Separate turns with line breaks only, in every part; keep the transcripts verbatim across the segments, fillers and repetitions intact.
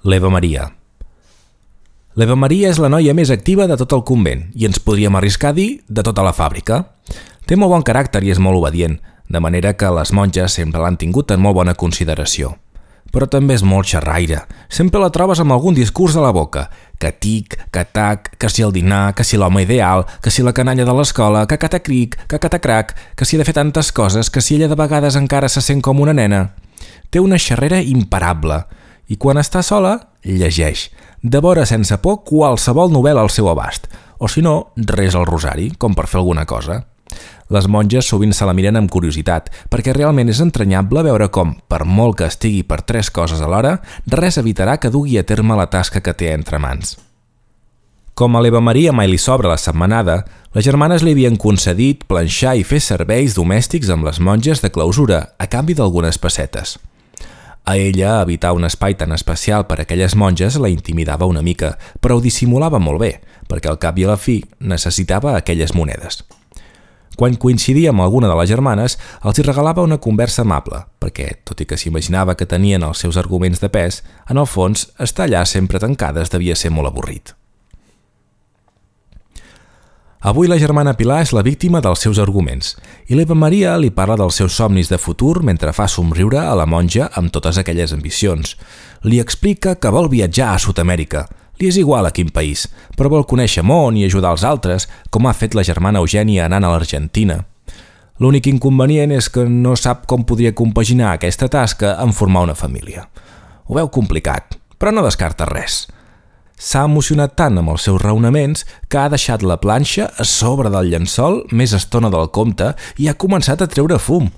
L'Eva Maria. L'Eva Maria és la noia més activa de tot el convent i ens podríem arriscar a dir de tota la fàbrica. Té molt bon caràcter i és molt obedient, de manera que les monges sempre l'han tingut en molt bona consideració. Però també és molt xerraire. Sempre la trobes amb algun discurs a la boca. Que tic, que tac, que si el dinar, que si l'home ideal, que si la canalla de l'escola, que catacric, que catacrac, que si ha de fer tantes coses, que si ella de vegades encara se sent com una nena. Té una xerrera imparable i quan està sola, llegeix. Devora sense por qualsevol novel·la al seu abast, o si no, resa el rosari, com per fer alguna cosa. Les monges sovint se la miren amb curiositat, perquè realment és entranyable veure com, per molt que estigui per tres coses alhora, res evitarà que dugui a terme la tasca que té entre mans. Com a l'Eva Maria mai li sobra la setmanada, les germanes li havien concedit planxar i fer serveis domèstics amb les monges de clausura, a canvi d'algunes pessetes. A ella, evitar un espai tan especial per a aquelles monges la intimidava una mica, però ho dissimulava molt bé, perquè al cap i a la fi necessitava aquelles monedes. Quan coincidia amb alguna de les germanes, els hi regalava una conversa amable, perquè, tot i que s'imaginava que tenien els seus arguments de pes, en el fons, estar allà sempre tancades devia ser molt avorrit. Avui la germana Pilar és la víctima dels seus arguments i l'Eva Maria li parla dels seus somnis de futur mentre fa somriure a la monja amb totes aquelles ambicions. Li explica que vol viatjar a Sud-amèrica. Li és igual a quin país, però vol conèixer món i ajudar els altres, com ha fet la germana Eugènia anant a l'Argentina. L'únic inconvenient és que no sap com podria compaginar aquesta tasca en formar una família. Ho veu complicat, però no descarta res. S'ha emocionat tant amb els seus raonaments que ha deixat la planxa a sobre del llençol més estona del compte i ha començat a treure fum.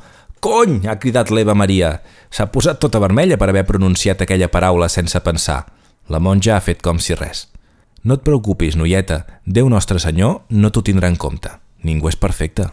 «Cony!» ha cridat l'Eva Maria. S'ha posat tota vermella per haver pronunciat aquella paraula sense pensar. La monja ha fet com si res. «No et preocupis, noieta. Déu Nostre Senyor no t'ho tindrà en compte. Ningú és perfecte».